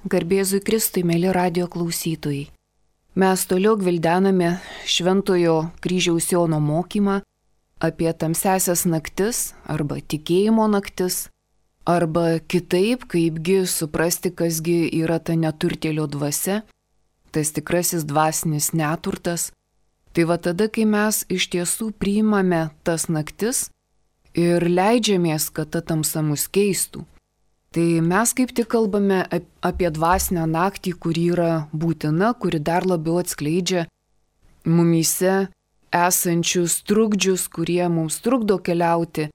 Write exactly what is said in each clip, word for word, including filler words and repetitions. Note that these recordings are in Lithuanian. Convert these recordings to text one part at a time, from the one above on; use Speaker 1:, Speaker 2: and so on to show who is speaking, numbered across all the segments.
Speaker 1: Garbėzui Kristui, mėly radio klausytojai. Mes toliau gvildename Šventojo Kryžiaus Jono mokymą apie tamsiasias naktis arba tikėjimo naktis, arba kitaip, kaipgi suprasti, kasgi yra ta neturtėlio dvasia, tas tikrasis dvasinis neturtas. Tai va tada, kai mes iš tiesų priimame tas naktis ir leidžiamės, kad ta tamsa mus keistų. Tai mes kaip tik kalbame apie dvasinę naktį, kuri yra būtina, kuri dar labiau atskleidžia mumyse esančius trukdžius, kurie mums trukdo keliauti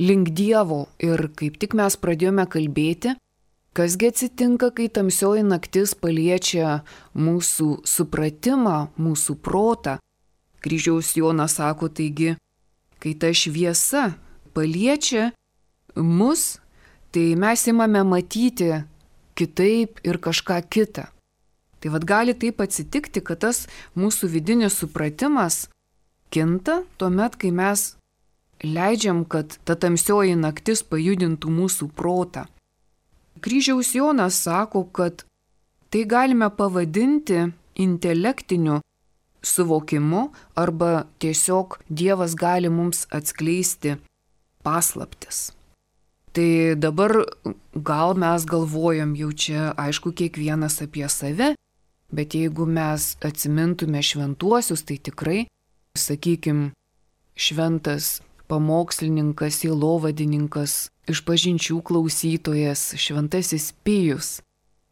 Speaker 1: link Dievo. Ir kaip tik mes pradėjome kalbėti, kasgi atsitinka, kai tamsioji naktis paliečia mūsų supratimą, mūsų protą. Kryžiaus Jonas sako, taigi, kai ta šviesa paliečia mus, tai mes imame matyti kitaip ir kažką kitą. Tai vad gali taip atsitikti, kad tas mūsų vidinis supratimas kinta tuomet, kai mes leidžiam, kad ta tamsioji naktis pajudintų mūsų protą. Kryžiaus Jonas sako, kad tai galime pavadinti intelektiniu suvokimu arba tiesiog Dievas gali mums atskleisti paslaptis. Tai dabar gal mes galvojam jau čia, aišku, kiekvienas apie save, bet jeigu mes atsimintume šventuosius, tai tikrai, sakykim, šventas pamokslininkas, sielovadininkas, išpažinčių klausytojas, šventasis Pijus.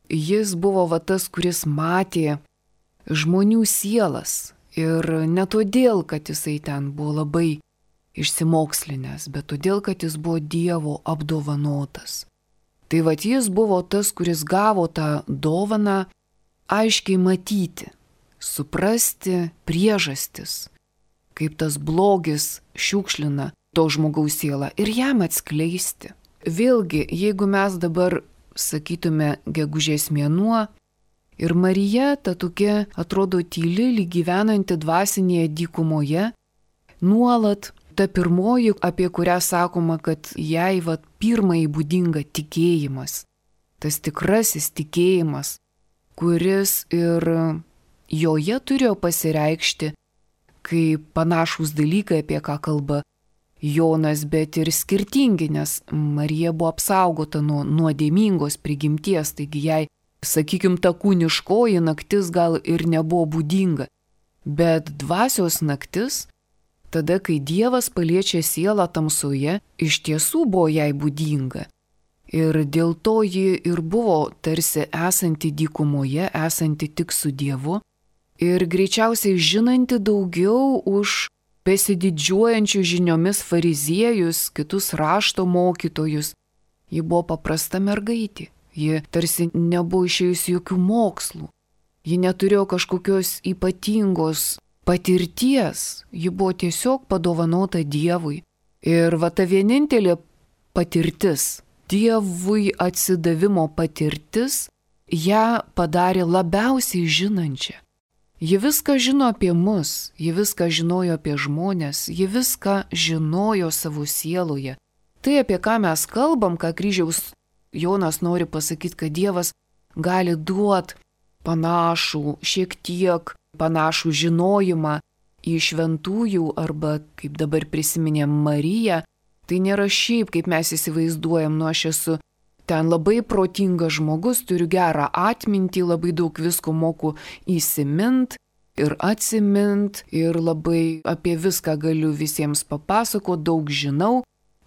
Speaker 1: Jis buvo va tas, kuris matė žmonių sielas ir ne todėl, kad jisai ten buvo labai išsimokslinęs, bet todėl, kad jis buvo Dievo apdovanotas. Tai vat jis buvo tas, kuris gavo tą dovaną aiškiai matyti, suprasti priežastis, kaip tas blogis šiukšlina to žmogaus sielą ir jam atskleisti. Vėlgi, jeigu mes dabar sakytume gegužės mėnuo ir Marija, ta tokia atrodo tyli, lyg gyvenanti dvasinėje dykumoje, nuolat ta pirmoji, apie kurią sakoma, kad jai vat pirmai būdinga tikėjimas, tas tikrasis tikėjimas, kuris ir joje turėjo pasireikšti kaip panašūs dalykai, apie ką kalba Jonas, bet ir skirtingi, nes Marija buvo apsaugota nuo nuodėmingos prigimties, taigi jai, sakykim, ta kūniškoji naktis gal ir nebuvo būdinga, bet dvasios naktis, tada, kai Dievas paliečia sielą tamsoje, iš tiesų buvo jai būdinga. Ir dėl to ji ir buvo tarsi esanti dykumoje, esanti tik su Dievu ir greičiausiai žinanti daugiau už besididžiuojančių žiniomis fariziejus, kitus rašto mokytojus. Ji buvo paprasta mergaitė, ji tarsi nebuvo išėjusi jokių mokslų, ji neturėjo kažkokios ypatingos patirties, ji buvo tiesiog padovanota Dievui. Ir va ta vienintelė patirtis, Dievui atsidavimo patirtis, ją padarė labiausiai žinančią. Ji viską žino apie mus, ji viską žinojo apie žmonės, ji viską žinojo savo sieloje. Tai, apie ką mes kalbam, ką Kryžiaus Jonas nori pasakyti, kad Dievas gali duoti panašų, šiek tiek panašų žinojimą į šventųjų arba, kaip dabar prisiminėm, Mariją, tai nėra šiaip, kaip mes įsivaizduojam, nu aš esu ten labai protingas žmogus, turiu gerą atmintį, labai daug visko moku įsimint ir atsimint ir labai apie viską galiu visiems papasakoti, daug žinau.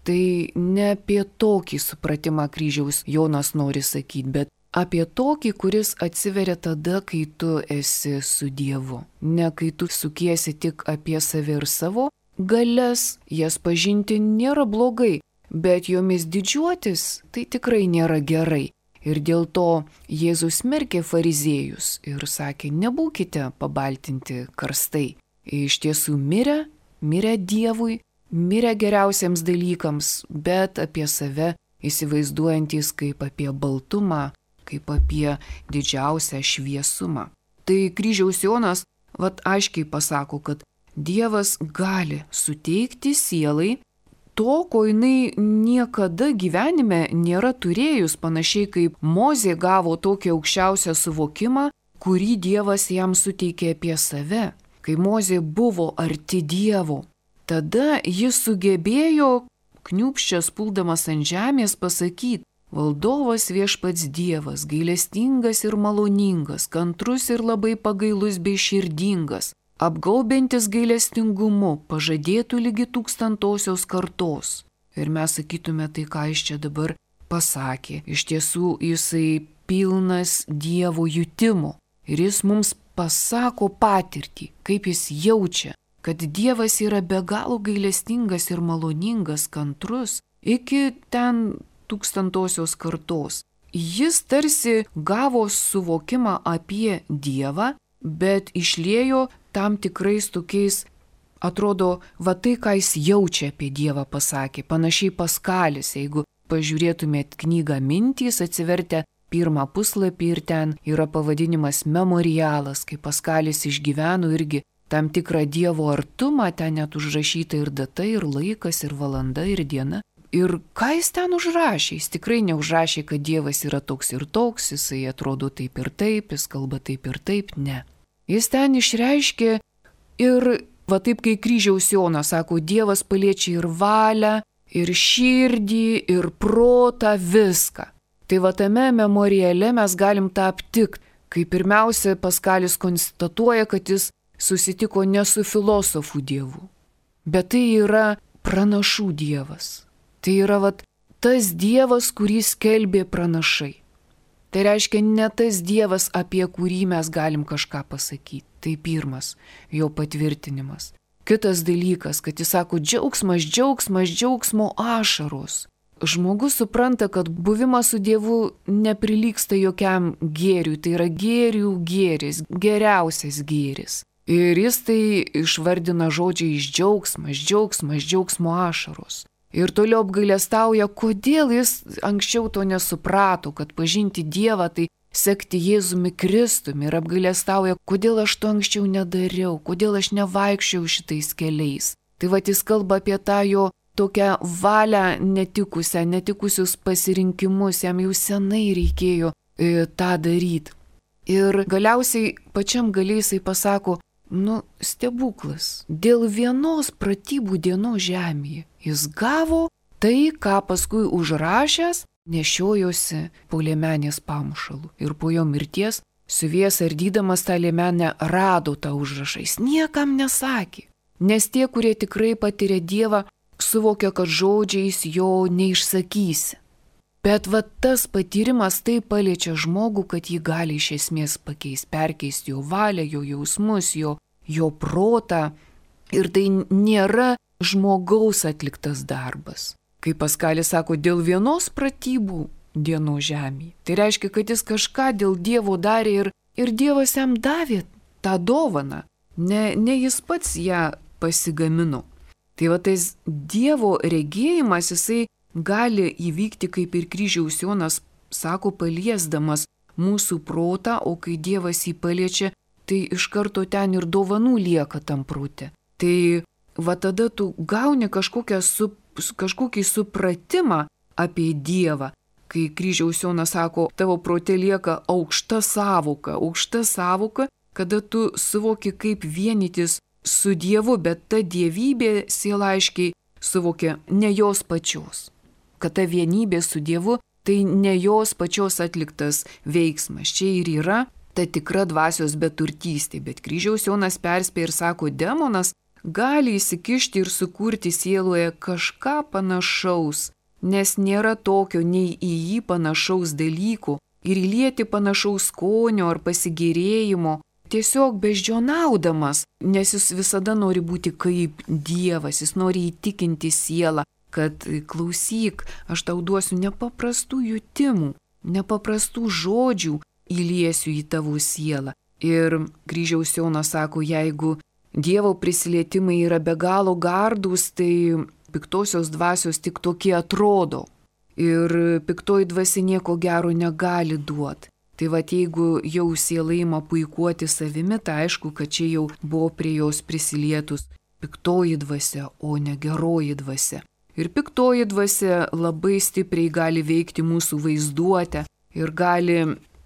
Speaker 1: Tai ne apie tokį supratimą Kryžiaus Jonas nori sakyti, bet apie tokį, kuris atsiveria tada, kai tu esi su Dievu. Ne kai tu sukiesi tik apie save ir savo galias, jas pažinti nėra blogai, bet jomis didžiuotis tai tikrai nėra gerai. Ir dėl to Jėzus smerkė fariziejus ir sakė, nebūkite pabaltinti karstai. Iš tiesų mirę, mirę Dievui, mirę geriausiems dalykams, bet apie save įsivaizduojantis kaip apie baltumą, kaip apie didžiausią šviesumą. Tai Kryžiaus Jonas vat aiškiai pasako, kad Dievas gali suteikti sielai to, ko jinai niekada gyvenime nėra turėjus, panašiai kaip Mozė gavo tokį aukščiausią suvokimą, kurį Dievas jam suteikė apie save. Kai Mozė buvo arti Dievo, tada jis sugebėjo, kniūpščias puldamas ant žemės, pasakyti: Valdovas viešpats Dievas, gailestingas ir maloningas, kantrus ir labai pagailus bei širdingas, apgaubiantis gailestingumu, pažadėtų lygi tūkstantosios kartos. Ir mes sakytume, tai ką jis čia dabar pasakė. Iš tiesų jisai pilnas Dievo jutimo. Ir jis mums pasako patirtį, kaip jis jaučia, kad Dievas yra be galo gailestingas ir maloningas, kantrus iki ten tūkstantosios kartos. Jis tarsi gavo suvokimą apie Dievą, bet išliejo tam tikrais tokiais, atrodo, va tai, ką jis jaučia apie Dievą pasakė. Panašiai Paskalis, jeigu pažiūrėtumėt knygą Mintys, atsivertę pirmą puslapį ir ten yra pavadinimas Memorialas, kai Paskalis išgyveno irgi tam tikrą Dievo artumą, ten net užrašyta ir data, ir laikas, ir valanda, ir diena. Ir ką jis ten užrašė? Jis tikrai neužrašė, kad Dievas yra toks ir toks, jisai atrodo taip ir taip, jis kalba taip ir taip, ne. Jis ten išreiškė ir, va taip kai kryžiaus Jonas sako, Dievas paliečia ir valią, ir širdį, ir protą, viską. Tai va tame memoriale mes galim tą aptikti, kai pirmiausia Paskalis konstatuoja, kad jis susitiko ne su filosofų dievu, bet tai yra pranašų Dievas. Tai yra vat, tas Dievas, kurį skelbė pranašai. Tai reiškia ne tas Dievas, apie kurį mes galim kažką pasakyti. Tai pirmas jo patvirtinimas. Kitas dalykas, kad jis sako džiaugsmas, džiaugsmas, džiaugsmo ašaros. Žmogus supranta, kad buvimas su Dievu neprilygsta jokiam gėriui. Tai yra gėrių gėris, geriausias gėris. Ir jis tai išvardina žodžiais džiaugsmas, džiaugsmas, džiaugsmo ašaros. Ir toliau apgailestauja, kodėl jis anksčiau to nesuprato, kad pažinti Dievą tai sekti Jėzumi Kristumi, ir apgailestauja, kodėl aš to anksčiau nedariau, kodėl aš nevaikščiau šitais keliais. Tai va jis kalba apie tą jo tokią valią netikusią, netikusius pasirinkimus, jam jau senai reikėjo e, tą daryti. Ir galiausiai pačiam galiai jisai pasako, nu, stebuklas, dėl vienos pratybų dienos žemėje jis gavo tai, ką paskui užrašęs nešiojosi po liemenės pamušalu. Ir po jo mirties, siuvėjas ardydamas tą liemenę, rado tą užrašą. Jis niekam nesakė, nes tie, kurie tikrai patiria Dievą, suvokia, kad žodžiais jo neišsakysi. Bet va tas patyrimas tai paliečia žmogų, kad jį gali iš esmės pakeisti, perkeisti jo valią, jo jausmus, jo, jo protą. Ir tai nėra žmogaus atliktas darbas. Kaip Paskalis sako, dėl vienos pratybų dienos žemėje. Tai reiškia, kad jis kažką dėl Dievo darė ir, ir Dievas jam davė tą dovaną. Ne, ne jis pats ją pasigamino. Tai va tas Dievo regėjimas, jisai gali įvykti, kaip ir kryžiaus Jonas sako, paliesdamas mūsų protą, o kai Dievas jį paliečia, tai iš karto ten ir dovanų lieka tam prote. Tai va tada tu gauni su, kažkokį supratimą apie Dievą, kai kryžiaus Jonas sako, tavo prote lieka aukšta sąvoka, aukšta sąvoka, kada tu suvoki, kaip vienytis su Dievu, bet ta dievybė siela aiškiai suvokia ne jos pačios. Kad ta vienybė su Dievu tai ne jos pačios atliktas veiksmas. Čia ir yra ta tikra dvasios beturtystė, bet kryžiaus Jonas perspėja ir sako, demonas gali įsikišti ir sukurti sieloje kažką panašaus, nes nėra tokio nei į jį panašaus dalyko ir įlieti panašaus skonio ar pasigėrėjimo, tiesiog beždžionaudamas, nes jis visada nori būti kaip Dievas, jis nori įtikinti sielą, kad klausyk, aš tau duosiu nepaprastų jutimų, nepaprastų žodžių įliesiu į tavo sielą. Ir kryžiaus Jonas sako, jeigu Dievo prisilietimai yra be galo gardūs, tai piktosios dvasios tik tokie atrodo. Ir piktoji dvasia nieko gero negali duoti. Tai va, jeigu jau siela ima puikuoti savimi, tai aišku, kad čia jau buvo prie jos prisilietus piktoji dvasia, o ne geroji dvasia. Ir piktoji dvasia labai stipriai gali veikti mūsų vaizduotę ir gali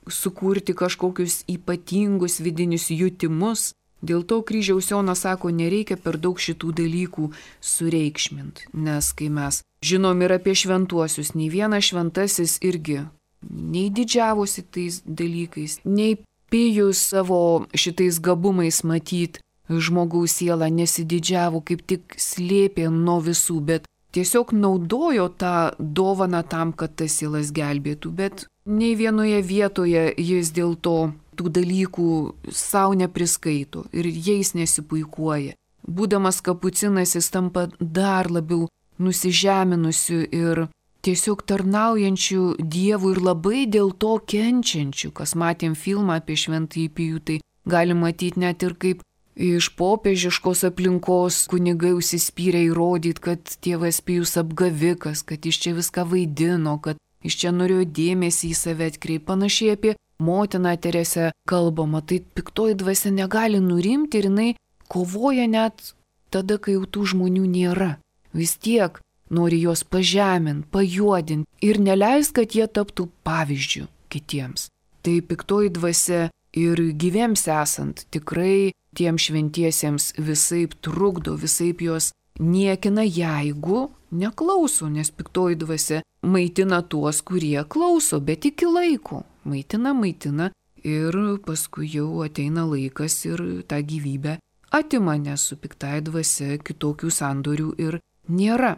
Speaker 1: sukurti kažkokius ypatingus vidinius jutimus. Dėl to kryžiaus Jonas sako, nereikia per daug šitų dalykų sureikšminti, nes kai mes žinom ir apie šventuosius, nei vienas šventasis irgi nei didžiavosi tais dalykais, nei pijus savo šitais gabumais matyt žmogaus sielą nesididžiavo, kaip tik slėpė nuo visų, bet tiesiog naudojo tą dovaną tam, kad tas sielas gelbėtų, bet nei vienoje vietoje jis dėl to tų dalykų savo nepriskaito ir jais nesipuikuoja. Būdamas kapucinas jis tampa dar labiau nusižeminusiu ir tiesiog tarnaujančiu Dievui ir labai dėl to kenčiančiu. Kas matėm filmą apie Šventąjį Pijų, tai galim matyti net ir kaip iš popiežiškos aplinkos kunigai užsispyrė įrodyti, kad tėvas Pijus apgavikas, kad jis čia viską vaidino, kad jis čia norėjo dėmesį į save atkreipti. Panašiai apie motiną Teresę kalbama, tai piktoji dvasia negali nurimti ir jinai kovoja net tada, kai jau tų žmonių nėra. Vis tiek nori juos pažeminti, pajuodinti ir neleis, kad jie taptų pavyzdžių kitiems. Tai piktoji dvasia ir gyviems esant tikrai tiem šventiesiems visaip trukdo, visaip juos niekina, jeigu neklauso, nes piktoji dvasia maitina tuos, kurie klauso, bet iki laiko. Maitina, maitina ir paskui jau ateina laikas ir tą gyvybę atima, nes su piktai dvasia kitokių sandorių ir nėra.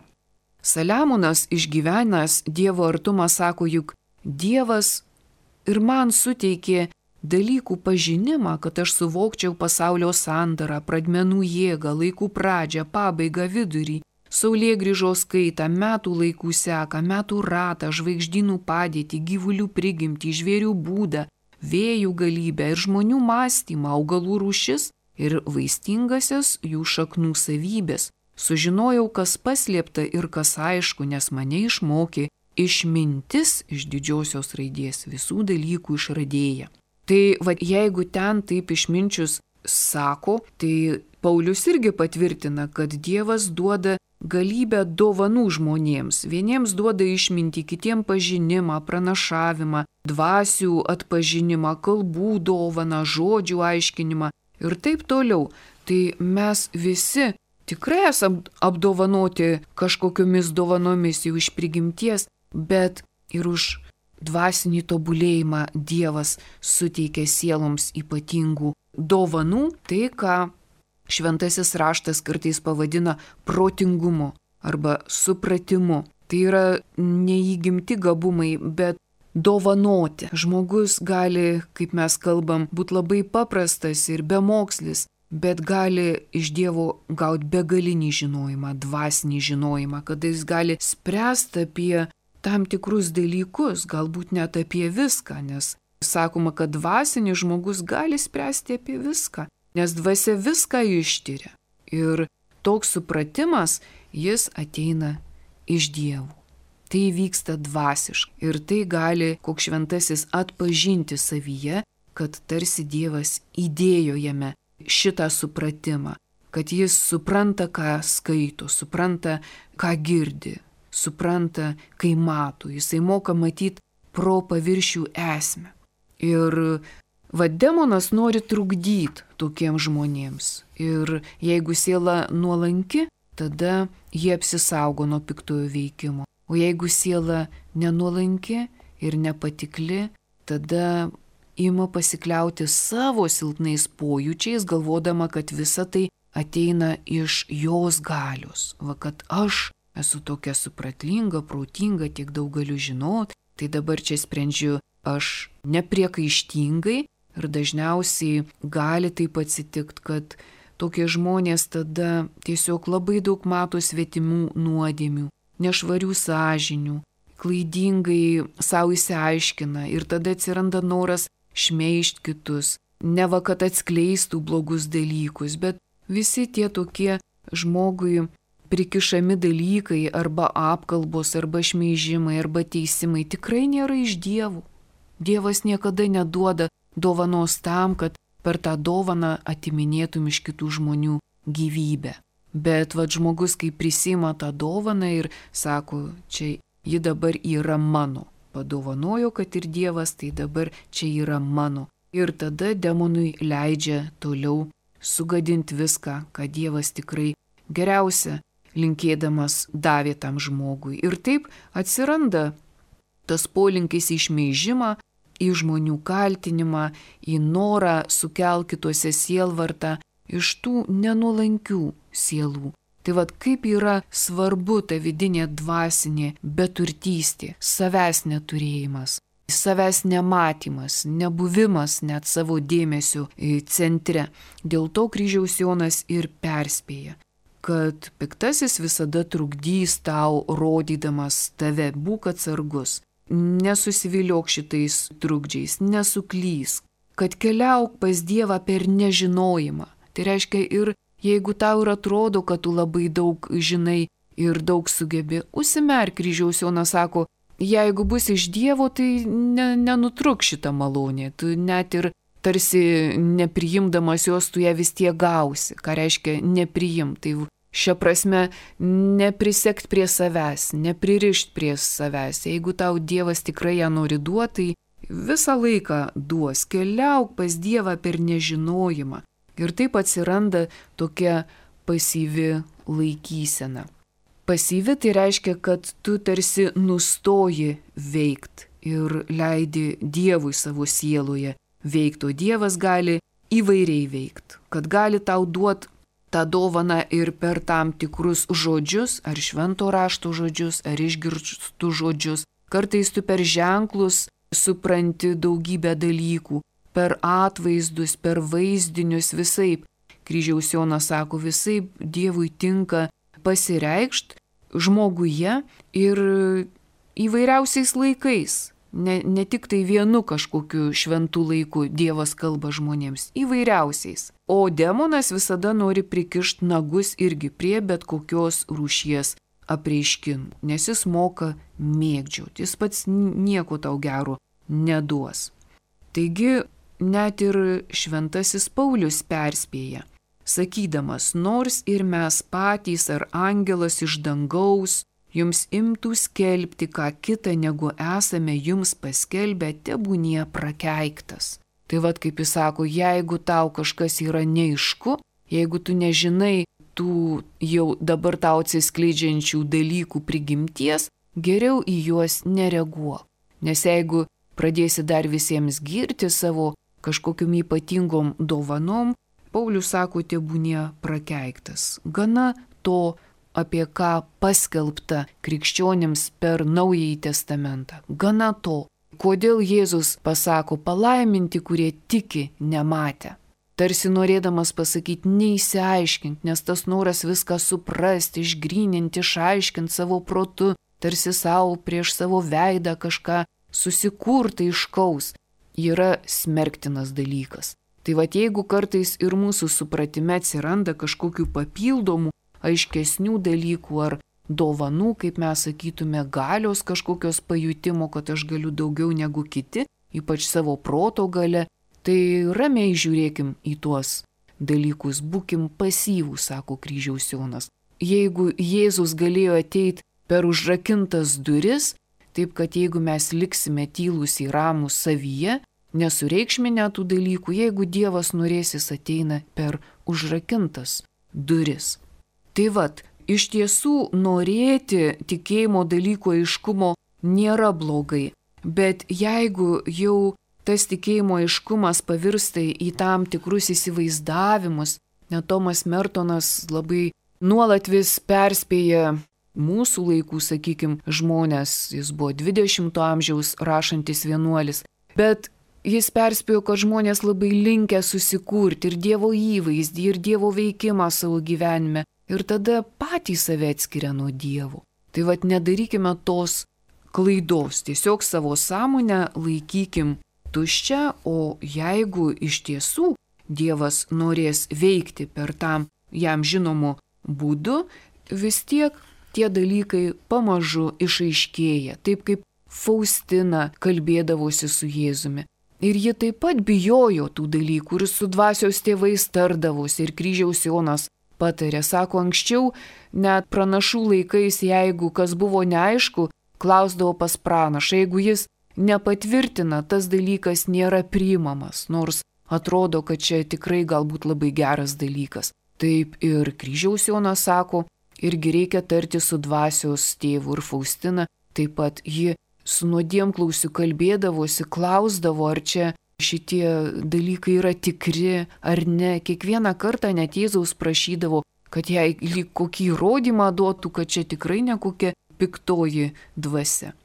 Speaker 1: Saliamonas išgyvenęs Dievo artumą sako, juk Dievas ir man suteikė dalykų pažinimą, kad aš suvokčiau pasaulio sandarą, pradmenų jėgą, laikų pradžią, pabaigą, vidurį, saulėgrįžos kaitą, metų laikų seką, metų ratą, žvaigždynų padėtį, gyvulių prigimtį, žvėrių būdą, vėjų galybę ir žmonių mąstymą, augalų rūšis ir vaistingasias jų šaknų savybės. Sužinojau, kas paslėpta ir kas aišku, nes mane išmokė išmintis iš didžiosios raidės visų dalykų išradėja. Tai va, jeigu ten taip išminčius sako, tai Paulius irgi patvirtina, kad Dievas duoda galybę dovanų žmonėms. Vieniems duoda išmintį, kitiems pažinimą, pranašavimą, dvasių atpažinimą, kalbų dovaną, žodžių aiškinimą ir taip toliau. Tai mes visi tikrai esam apdovanoti kažkokiomis dovanomis jau iš prigimties, bet ir už dvasinį tobulėjimą Dievas suteikia sieloms ypatingų dovanų, tai ką šventasis raštas kartais pavadina protingumu arba supratimu. Tai yra neįgimti gabumai, bet dovanoti. Žmogus gali, kaip mes kalbam, būti labai paprastas ir bemokslis, bet gali iš Dievo gauti begalinį žinojimą, dvasinį žinojimą, kada jis gali spręsti apie tam tikrus dalykus, galbūt net apie viską, nes sakoma, kad dvasinis žmogus gali spręsti apie viską, nes dvasia viską ištyria. Ir toks supratimas, jis ateina iš Dievo. Tai vyksta dvasiškai ir tai gali koks šventasis atpažinti savyje, kad tarsi Dievas įdėjo jame šitą supratimą, kad jis supranta, ką skaito, supranta, ką girdi, supranta, kai mato, jisai moka matyti pro paviršių esmę. Ir va, demonas nori trukdyti tokiems žmonėms. Ir jeigu siela nuolanki, tada jie apsisaugo nuo piktojo veikimo. O jeigu siela nenuolanki ir nepatikli, tada ima pasikliauti savo silpnais pojūčiais, galvodama, kad visa tai ateina iš jos galios. Va, kad aš esu tokia supratlinga, protinga, tiek daug galiu žinot, tai dabar čia sprendžiu aš nepriekaištingai ir dažniausiai gali taip atsitikti, kad tokie žmonės tada tiesiog labai daug mato svetimų nuodėmių, nešvarių sąžinių, klaidingai savo įsiaiškina ir tada atsiranda noras šmeižti kitus, ne va, kad atskleistų blogus dalykus, bet visi tie tokie žmogui prikišami dalykai arba apkalbos, arba šmeižimai, arba teisimai tikrai nėra iš Dievo. Dievas niekada neduoda dovanos tam, kad per tą dovaną atiminėtum iš kitų žmonių gyvybę. Bet vad žmogus, kai prisima tą dovaną ir sako, čia ji dabar yra mano. Padovanojo, kad ir Dievas, tai dabar čia yra mano. Ir tada demonui leidžia toliau sugadinti viską, ką Dievas tikrai geriausia linkėdamas davė tam žmogui. Ir taip atsiranda tas polinkis į šmeižimą, į žmonių kaltinimą, į norą sukelt kituose sielvartą iš tų nenuolankių sielų. Tai vad kaip yra svarbu ta vidinė dvasinė beturtystė, savęs neturėjimas, savęs nematymas, nebuvimas net savo dėmesio centre. Dėl to kryžiaus Jonas ir perspėja, kad piktasis visada trukdys tau, rodydamas tave, būk atsargus, nesusiviliok šitais trukdžiais, nesuklys, kad keliauk pas Dievą per nežinojimą. Tai reiškia ir jeigu tau ir atrodo, kad tu labai daug žinai ir daug sugebi, užsimerk, kryžiaus Jonas sako, jeigu bus iš Dievo, tai ne, nenutruk šitą malonę, tu net ir tarsi nepriimdamas jos, tu ją vis tiek gausi. Ką reiškia nepriim? Tai šia prasme neprisekt prie savęs, nepririšt prie savęs. Jeigu tau Dievas tikrai ją nori duoti, tai visą laiką duos. Keliauk pas Dievą per nežinojimą. Ir taip atsiranda tokia pasyvi laikysena. Pasyvi tai reiškia, kad tu tarsi nustoji veikt ir leidi Dievui savo sieloje veikti, o Dievas gali įvairiai veikt, kad gali tau duoti tą dovaną ir per tam tikrus žodžius, ar švento rašto žodžius, ar išgirstų žodžius. Kartais tu per ženklus supranti daugybę dalykų, per atvaizdus, per vaizdinius, visaip. Kryžiaus Jonas sako, visaip Dievui tinka pasireikšt žmoguje ir įvairiausiais laikais. Ne, ne tik tai vienu kažkokiu šventų laiku Dievas kalba žmonėms, įvairiausiais. O demonas visada nori prikišti nagus irgi prie bet kokios rūšies apreiškimų, nes jis moka mėgdžioti, jis pats nieko tau gero neduos. Taigi, net ir šventasis Paulius perspėja, sakydamas, nors ir mes patys ar angelas iš dangaus jums imtų skelbti ką kita, negu esame jums paskelbę, tebūnie prakeiktas. Tai vad kaip jis sako, jeigu tau kažkas yra neaišku, jeigu tu nežinai tų jau dabar tau atsiskleidžiančių dalykų prigimties, geriau į juos nereaguok. Nes jeigu pradėsi dar visiems girti savo kažkokiom ypatingom dovanom, Paulius sako, tebūnie prakeiktas. Gana to, apie ką paskelbta krikščionims per Naująjį testamentą. Gana to, kodėl Jėzus pasako palaiminti, kurie tiki nematę. Tarsi norėdamas pasakyti, neįsiaiškinti, nes tas noras viską suprasti, išgryninti, išaiškinti savo protu, tarsi savo prieš savo veidą kažką susikurti iškaus, yra smerktinas dalykas. Tai va jeigu kartais ir mūsų supratime atsiranda kažkokių papildomų, aiškesnių dalykų ar dovanų, kaip mes sakytume, galios kažkokios pajutimo, kad aš galiu daugiau negu kiti, ypač savo proto gale, tai ramiai žiūrėkim į tuos dalykus, būkim pasyvūs, sako kryžiaus Jonas. Jeigu Jėzus galėjo ateiti per užrakintas duris, taip kad jeigu mes liksime tylūs į ramų savyje, nesureikšminę tų dalykų, jeigu Dievas norės, jis ateina per užrakintas duris. Tai vat, iš tiesų norėti tikėjimo dalyko aiškumo nėra blogai, bet jeigu jau tas tikėjimo aiškumas pavirsta į tam tikrus įsivaizdavimus, net Tomas Mertonas labai nuolat vis perspėja mūsų laikų, sakykim, žmonės, jis buvo dvidešimto amžiaus rašantis vienuolis, bet jis perspėjo, kad žmonės labai linkę susikurti ir Dievo įvaizdį, ir Dievo veikimą savo gyvenime, ir tada patys save atskiria nuo Dievo. Tai vat nedarykime tos klaidos, tiesiog savo sąmonę laikykim tuščią, o jeigu iš tiesų Dievas norės veikti per tam jam žinomu būdu, vis tiek tie dalykai pamažu išaiškėja, taip kaip Faustina kalbėdavosi su Jėzumi. Ir ji taip pat bijojo tų dalykų ir su dvasios tėvais tardavosi, ir kryžiaus Jonas patarė. Sako, anksčiau net pranašų laikais, jeigu kas buvo neaišku, klausdavo pas pranašą. Jeigu jis nepatvirtina, tas dalykas nėra priimamas, nors atrodo, kad čia tikrai galbūt labai geras dalykas. Taip ir kryžiaus Jonas sako, irgi reikia tarti su dvasios tėvu ir Faustina. Taip pat ji su nuodėmklausiu kalbėdavosi, klausdavo, ar čia šitie dalykai yra tikri ar ne. Kiekvieną kartą net Jėzaus prašydavo, kad jai lyg kokį įrodymą duotų, kad čia tikrai ne kokia piktoji dvasia.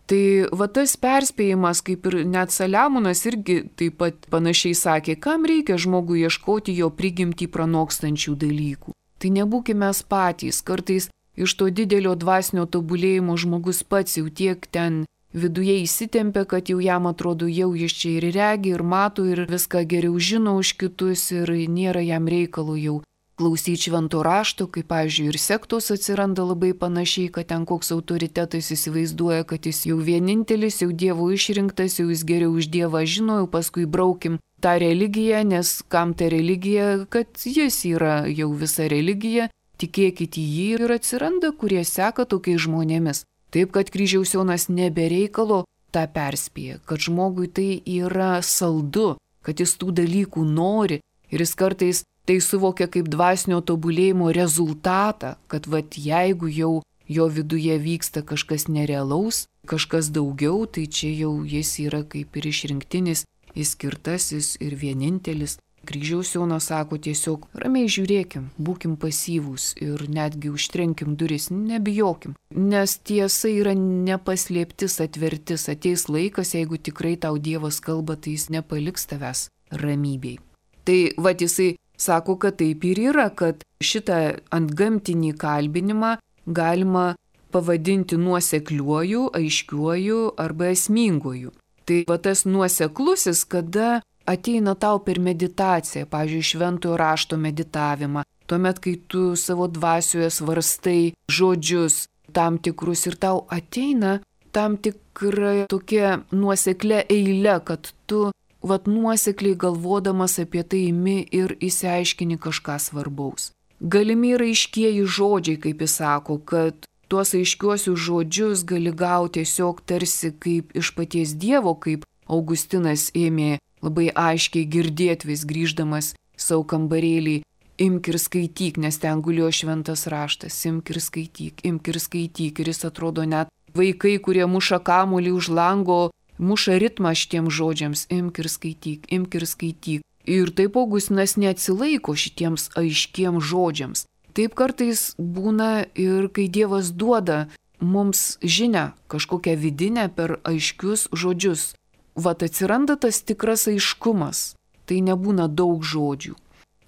Speaker 1: Tai va tas perspėjimas, kaip ir net Saliamonas irgi taip pat panašiai sakė, kam reikia žmogui ieškoti jo prigimtį pranokstančių dalykų. Tai nebūkime mes patys, kartais iš to didelio dvasinio tobulėjimo žmogus pats jau tiek ten viduje įsitempia, kad jau jam atrodo, jau jis čia ir regi, ir mato, ir viską geriau žino už kitus, ir nėra jam reikalo jau klausyti švento rašto, kaip, pavyzdžiui, ir sektos atsiranda labai panašiai, kad ten koks autoritetas įsivaizduoja, kad jis jau vienintelis, jau Dievo išrinktas, jau jis geriau už Dievą žino, jau paskui braukim tą religiją, nes kam ta religija, kad jis yra jau visa religija, tikėkit į jį, ir atsiranda, kurie seka tokiais žmonėmis. Taip, kad kryžiaus Jonas nebereikalo tą perspėja, kad žmogui tai yra saldu, kad jis tų dalykų nori, ir jis kartais tai suvokia kaip dvasinio tobulėjimo rezultatą, kad vat jeigu jau jo viduje vyksta kažkas nerealaus, kažkas daugiau, tai čia jau jis yra kaip ir išrinktinis, išskirtasis ir vienintelis. Kryžiaus Jonas sako tiesiog, ramiai žiūrėkim, būkim pasyvūs ir netgi užtrenkim duris, nebijokim, nes tiesa yra nepaslėptis, atvertis, ateis laikas, jeigu tikrai tau Dievas kalba, tai jis nepaliks tavęs ramybėj. Tai vat jisai sako, kad taip ir yra, kad šitą antgamtinį kalbinimą galima pavadinti nuosekliuoju, aiškiuoju arba esminguoju. Tai va tas nuoseklusis, kada ateina tau per meditaciją, pavyzdžiui, šventojo rašto meditavimą, tuomet, kai tu savo dvasioje svarstai žodžius tam tikrus ir tau ateina tam tikra tokia nuoseklia eile, kad tu vat nuosekliai galvodamas apie tai imi ir įsiaiškini kažką svarbaus. Galimi yra aiškieji žodžiai, kaip jis sako, kad tuos aiškiuosius žodžius gali gauti tiesiog tarsi kaip iš paties Dievo, kaip Augustinas ėmė labai aiškiai girdėti vis grįždamas savo kambarėlį, imk ir skaityk, nes ten gulėjo šventas raštas, imk ir skaityk, imk ir skaityk, ir jis atrodo net vaikai, kurie muša kamuolį už lango, muša ritmą šitiems žodžiams, imk ir skaityk, imk ir skaityk. Ir taip Augustinas neatsilaiko šitiems aiškiems žodžiams. Taip kartais būna ir kai Dievas duoda mums žinią, kažkokią vidinę per aiškius žodžius. Vat atsiranda tas tikras aiškumas, tai nebūna daug žodžių.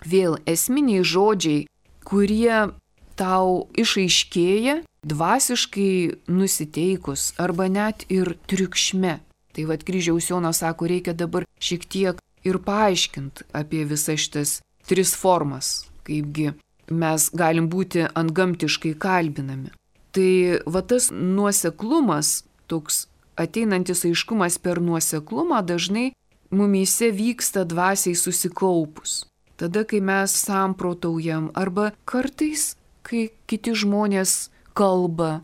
Speaker 1: Vėl esminiai žodžiai, kurie tau išaiškėja dvasiškai nusiteikus arba net ir triukšme. Tai vad kryžiaus Jonas sako, reikia dabar šiek tiek ir paaiškinti apie visas šitas tris formas, kaipgi mes galim būti antgamtiškai kalbinami. Tai va tas nuoseklumas, toks ateinantis aiškumas per nuoseklumą dažnai mumyse vyksta dvasiai susikaupus. Tada, kai mes samprotaujam arba kartais, kai kiti žmonės kalba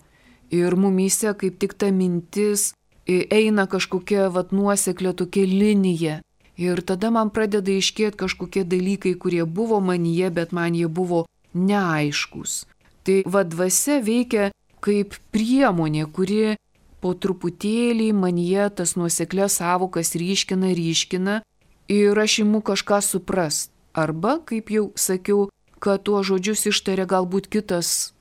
Speaker 1: ir mumyse kaip tik ta mintis eina kažkokia vat nuoseklė tokia linija. Ir tada man pradeda iškėti kažkokie dalykai, kurie buvo manyje, bet man jie buvo neaiškus. Tai va dvasia veikia kaip priemonė, kuri po truputėlį manyje tas nuoseklės savokas ryškina, ryškina ir aš imu kažką suprast. Arba, kaip jau sakiau, kad tuo žodžius ištaria galbūt kitas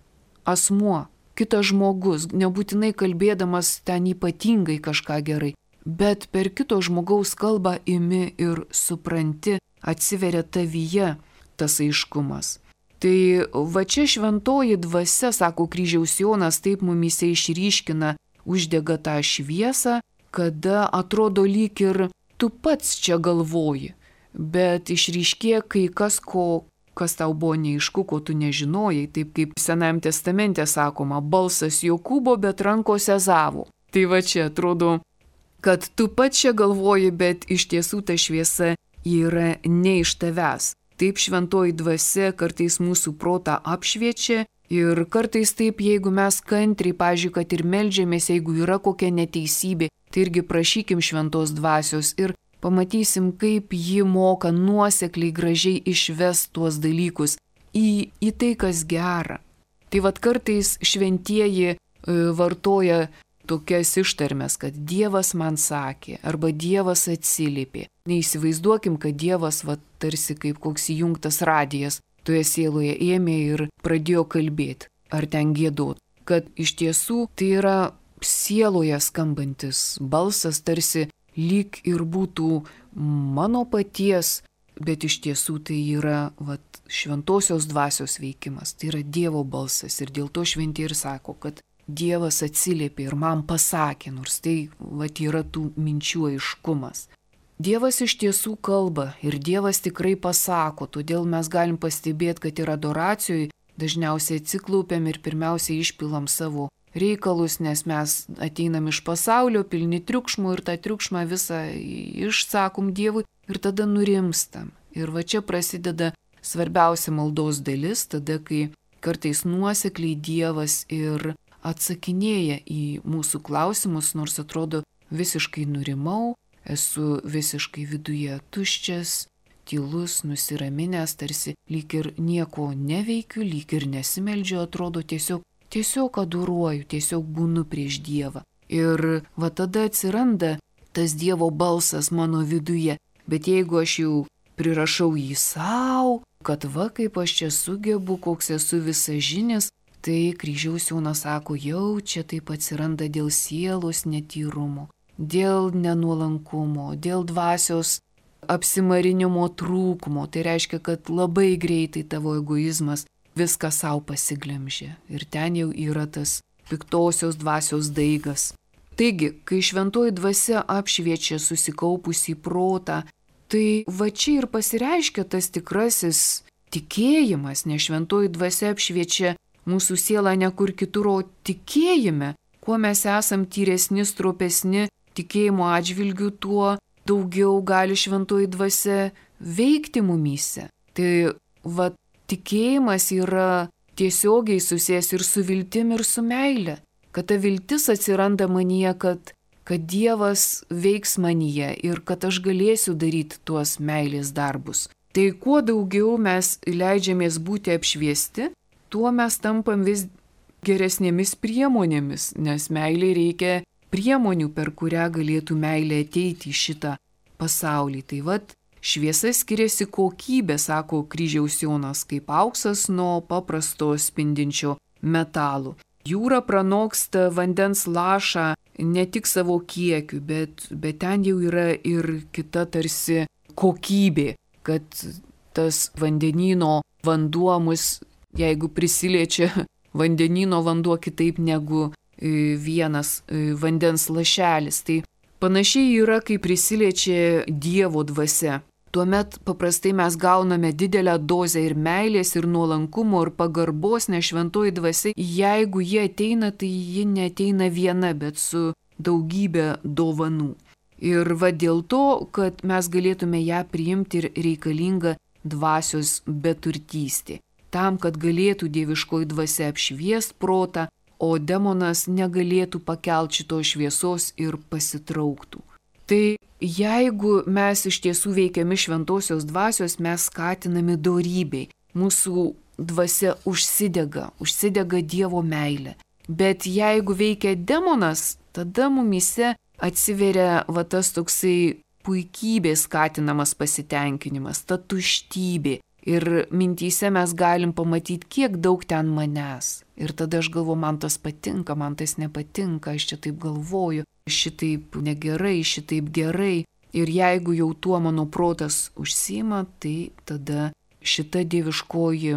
Speaker 1: asmuo, kitas žmogus, nebūtinai kalbėdamas ten ypatingai kažką gerai, bet per kito žmogaus kalbą imi ir supranti, atsiveria tavyje tas aiškumas. Tai va čia šventoji dvasia, sako kryžiaus Jonas, taip mumyse išryškina, uždega tą šviesą, kada atrodo lyg ir tu pats čia galvoji, bet išryškė kai kas, ko, kas tau buvo neaišku, ko tu nežinojai, taip kaip Senajame testamente sakoma, balsas Jokūbo, bet rankos Ezavo. Tai va čia atrodo, kad tu pats čia galvoji, bet iš tiesų ta šviesa yra ne iš tavęs. taip šventoji dvasia kartais mūsų protą apšviečia ir kartais taip, jeigu mes kantriai, pažiūrėjau, kad ir meldžiamės, jeigu yra kokia neteisybė, tai irgi prašykim šventos dvasios ir pamatysim, kaip ji moka nuosekliai gražiai išvest tuos dalykus į, į tai, kas gera. Tai vad kartais šventieji e, vartoja tokias ištarmes, kad Dievas man sakė arba Dievas atsiliepė. Neįsivaizduokim, kad Dievas va, tarsi kaip koks įjungtas radijas toje sieloje ėmė ir pradėjo kalbėti ar ten giedot. Kad iš tiesų tai yra sieloje skambantis balsas, tarsi lyg ir būtų mano paties, bet iš tiesų tai yra vat, šventosios dvasios veikimas, tai yra Dievo balsas ir dėl to šventieji ir sako, kad Dievas atsiliepė ir man pasakė, nors tai vat, yra tų minčių aiškumas. Dievas iš tiesų kalba ir Dievas tikrai pasako, todėl mes galim pastebėti, kad ir adoracijoje dažniausiai atsiklaupiam ir pirmiausiai išpilam savo reikalus, nes mes ateinam iš pasaulio, pilni triukšmų ir tą triukšmą visą išsakom Dievui ir tada nurimstam. Ir va čia prasideda svarbiausia maldos dalis, tada kai kartais nuosekliai Dievas ir atsakinėja į mūsų klausimus, nors atrodo visiškai nurimau, esu visiškai viduje tuščias, tylus, nusiraminęs, tarsi lyg ir nieko neveikiu, lyg ir nesimeldžiu, atrodo tiesiog, tiesiog adoruoju, tiesiog būnu prieš Dievą. Ir va tada atsiranda tas Dievo balsas mano viduje, bet jeigu aš jau prirašau jį savo, kad va kaip aš čia sugebu, koks esu visažinis, tai kryžiaus Jonas sako, jau čia taip atsiranda dėl sielos netyrumo, dėl nenuolankumo, dėl dvasios apsimarinimo trūkumo. Tai reiškia, kad labai greitai tavo egoizmas viską savo pasiglemžė. Ir ten jau yra tas piktosios dvasios daigas. Taigi, kai šventoji dvasia apšviečia susikaupusį protą, tai va čia ir pasireiškia tas tikrasis tikėjimas, nes šventoji dvasia apšviečia mūsų sielą ne kur kitur, o tikėjime. Kuo mes esam tyresni, stropesni tikėjimo atžvilgių, tuo daugiau gali šventoji dvasia veikti mumyse. Tai va tikėjimas yra tiesiogiai susijęs ir su viltim, ir su meile. Kad ta viltis atsiranda manyje, kad, kad Dievas veiks manyje ir kad aš galėsiu daryti tuos meilės darbus. Tai kuo daugiau mes leidžiamės būti apšviesti, tuo mes tampam vis geresnėmis priemonėmis, nes meilė reikia priemonių, per kurią galėtų meilė ateiti į šitą pasaulį. Tai vad, šviesa skiriasi kokybė, sako kryžiaus Jonas, kaip auksas nuo paprasto spindinčio metalo. Jūra pranoksta vandens lašą ne tik savo kiekiu, bet, bet ten jau yra ir kita tarsi kokybė, kad tas vandenyno vanduo mus, jeigu prisiliečia vandenyno vanduo kitaip negu vienas vandens lašelis, tai panašiai yra, kai prisiliečia Dievo dvasia. Tuomet paprastai mes gauname didelę dozę ir meilės, ir nuolankumo, ir pagarbos, nes šventoji dvasia, jeigu jie ateina, tai ji neateina viena, bet su daugybė dovanų. Ir va dėl to, kad mes galėtume ją priimti, ir reikalinga dvasios beturtystė. Tam, kad galėtų dieviškoji dvasia apšviest protą, o demonas negalėtų pakelti šitos šviesos ir pasitrauktų. Tai jeigu mes iš tiesų veikiami šventosios dvasios, mes skatinami dorybei. Mūsų dvasia užsidega, užsidega Dievo meilė. Bet jeigu veikia demonas, tada mumyse atsiveria va tas toksai puikybės skatinamas pasitenkinimas, ta tuštybė. Ir mintyse mes galim pamatyti, kiek daug ten manęs. Ir tada aš galvoju, man tas patinka, man tas nepatinka, aš čia taip galvoju, šitaip negerai, šitaip gerai. Ir jeigu jau tuo mano protas užsiima, tai tada šita dieviškoji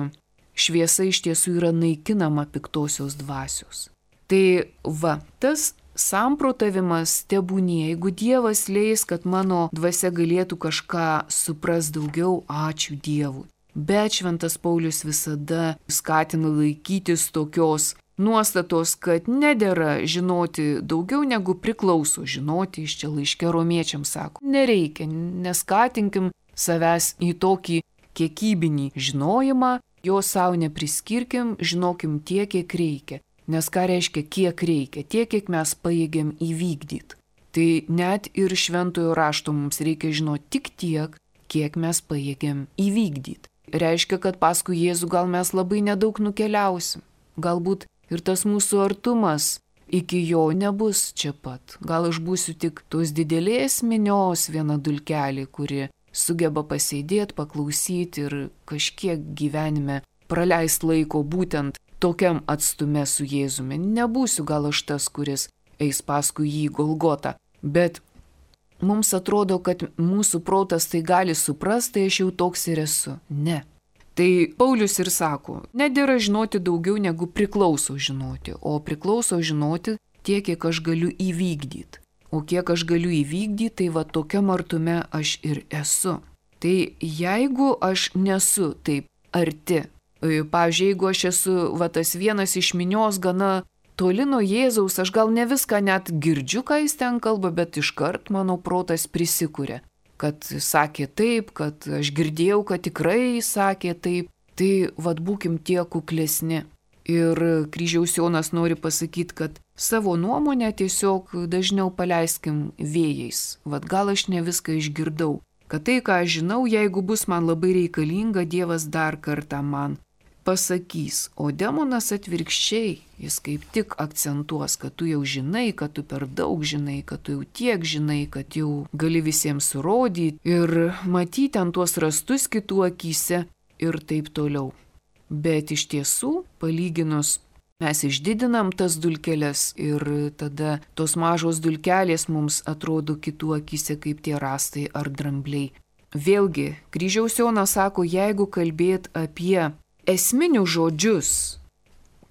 Speaker 1: šviesa iš tiesų yra naikinama piktosios dvasios. Tai va, tas samprotavimas tebūnie, jeigu Dievas leis, kad mano dvasia galėtų kažką supras daugiau, ačiū Dievui. Bet šventas Paulius visada skatina laikytis tokios nuostatos, kad nedera žinoti daugiau negu priklauso žinoti, iš čia laiške romiečiams sako. Nereikia, neskatinkim savęs į tokį kiekybinį žinojimą, jo savo nepriskirkim, žinokim tiek, kiek reikia. Nes ką reiškia kiek reikia? Tiek, kiek mes pajėgiam įvykdyti. Tai net ir šventojo rašto mums reikia žinoti tik tiek, kiek mes pajėgiam įvykdyti. Reiškia, kad paskui Jėzų gal mes labai nedaug nukeliausim. Galbūt ir tas mūsų artumas iki jo nebus čia pat. Gal aš būsiu tik tos didelės minios viena dulkelė, kuri sugeba pasėdėti, paklausyti ir kažkiek gyvenime praleist laiko būtent tokiam atstume su Jėzumi. Nebūsiu gal aš tas, kuris eis paskui jį Golgotą. Bet mums atrodo, kad mūsų protas tai gali suprasti, tai aš jau toks ir esu. Ne. Tai Paulius ir sako, nedėra žinoti daugiau negu priklauso žinoti, o priklauso žinoti tiek, kiek aš galiu įvykdyti. O kiek aš galiu įvykdyti, tai va tokiam artume aš ir esu. Tai jeigu aš nesu taip arti, pavyzdžiui, jeigu aš esu va tas vienas iš minios gana toli nuo Jėzaus, aš gal ne viską net girdžiu, ką jis ten kalba, bet iškart mano protas prisikuria, kad sakė taip, kad aš girdėjau, kad tikrai sakė taip. Tai vad būkim tie kuklesni. Ir Kryžiaus Jonas nori pasakyti, kad savo nuomonę tiesiog dažniau paleiskim vėjais. Vad gal aš ne viską išgirdau. Kad tai, ką aš žinau, jeigu bus man labai reikalinga, Dievas dar kartą man pasakys. O demonas atvirkščiai, jis kaip tik akcentuos, kad tu jau žinai, kad tu per daug žinai, kad tu jau tiek žinai, kad jau gali visiems surodyti ir matyti ant tuos rastus kitų akyse ir taip toliau. Bet iš tiesų, palyginus, mes išdidinam tas dulkeles ir tada tos mažos dulkelės mums atrodo kitų akyse kaip tie rastai ar drambliai. Vėlgi, Kryžiaus Jonas sako, jeigu kalbėt apie esminius žodžius,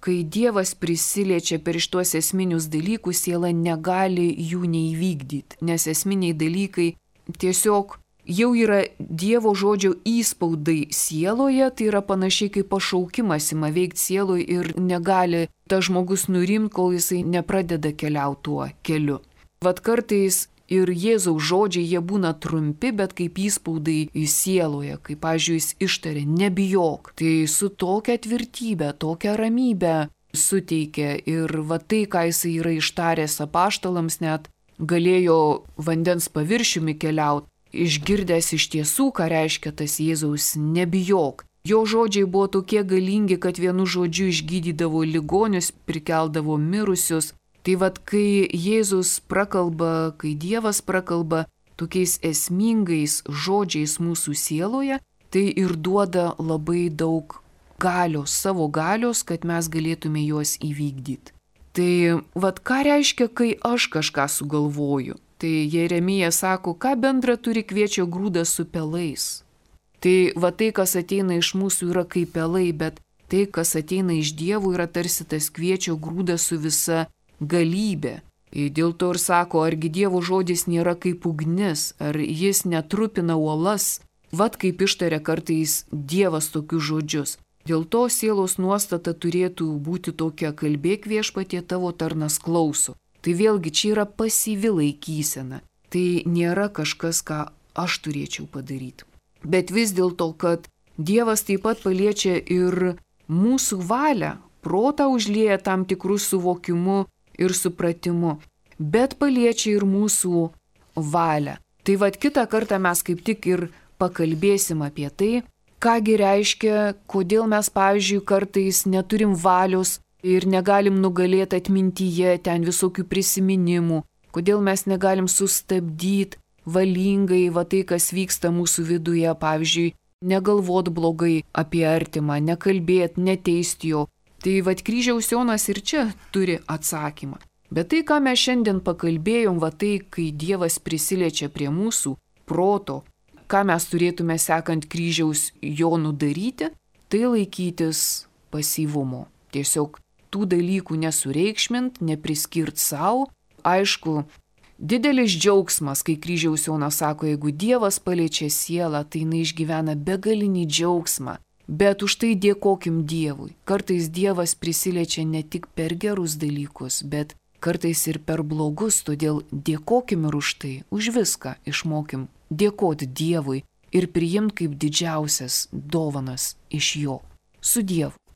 Speaker 1: kai Dievas prisiliečia per šitos esminius dalykus, siela negali jų neįvykdyti, nes esminiai dalykai tiesiog jau yra Dievo žodžio įspaudai sieloje, tai yra panašiai kaip pašaukimas ima veikti sieloje ir negali tas žmogus nurimti, kol jisai nepradeda keliauti tuo keliu. Vat kartais ir Jėzaus žodžiai jie būna trumpi, bet kaip įspaudai į sieloje, kaip, pavyzdžiui, jis ištarė, nebijok. Tai su tokia tvirtybė, tokia ramybė suteikia ir va tai, ką jisai yra ištaręs apaštalams, net galėjo vandens paviršiumi keliauti, išgirdęs iš tiesų, ką reiškia tas Jėzaus nebijok. Jo žodžiai buvo tokie galingi, kad vienu žodžiu išgydydavo ligonius, prikeldavo mirusius. Tai vad, kai Jėzus prakalba, kai Dievas prakalba tokiais esmingais žodžiais mūsų sieloje, tai ir duoda labai daug galios, savo galios, kad mes galėtume juos įvykdyti. Tai vad, ką reiškia, kai aš kažką sugalvoju? Tai Jeremija sako, ką bendra turi kviečio grūdas su pelais. Tai va tai, kas ateina iš mūsų, yra kaip pelai, bet tai, kas ateina iš Dievo, yra tarsi tas kviečio grūdas su visa galybė. Dėl to ir sako, argi Dievo žodis nėra kaip ugnis, ar jis netrupina uolas, vat kaip ištaria kartais Dievas tokius žodžius. Dėl to sielos nuostata turėtų būti tokia, kalbėk viešpatie, tavo tarnas klauso. Tai vėlgi čia yra pasyvi laikysena. Tai nėra kažkas, ką aš turėčiau padaryti. Bet vis dėlto, kad Dievas taip pat paliečia ir mūsų valią, protą užlieja tam tikrų suvokimu ir supratimu, bet paliečia ir mūsų valią. Tai vad kitą kartą mes kaip tik ir pakalbėsim apie tai, kągi reiškia, kodėl mes, pavyzdžiui, kartais neturim valios ir negalim nugalėti atmintyje ten visokių prisiminimų, kodėl mes negalim sustabdyti valingai va tai, kas vyksta mūsų viduje, pavyzdžiui, negalvot blogai apie artimą, nekalbėt, neteisti jo. Tai vad Kryžiaus Jonas ir čia turi atsakymą. Bet tai, ką mes šiandien pakalbėjom, va tai, kai Dievas prisiliečia prie mūsų proto, ką mes turėtume sekant Kryžiaus Jonu daryti, tai laikytis pasyvumo. Tiesiog tų dalykų nesureikšmint, nepriskirt savo. Aišku, didelis džiaugsmas, kai Kryžiaus Jonas sako, jeigu Dievas paliečia sielą, tai jinai išgyvena begalinį džiaugsmą. Bet už tai dėkokim Dievui. Kartais Dievas prisiliečia ne tik per gerus dalykus, bet kartais ir per blogus, todėl dėkokim ir už tai, už viską išmokim dėkoti Dievui, ir priimti kaip didžiausias dovanas iš jo. Su Dievu.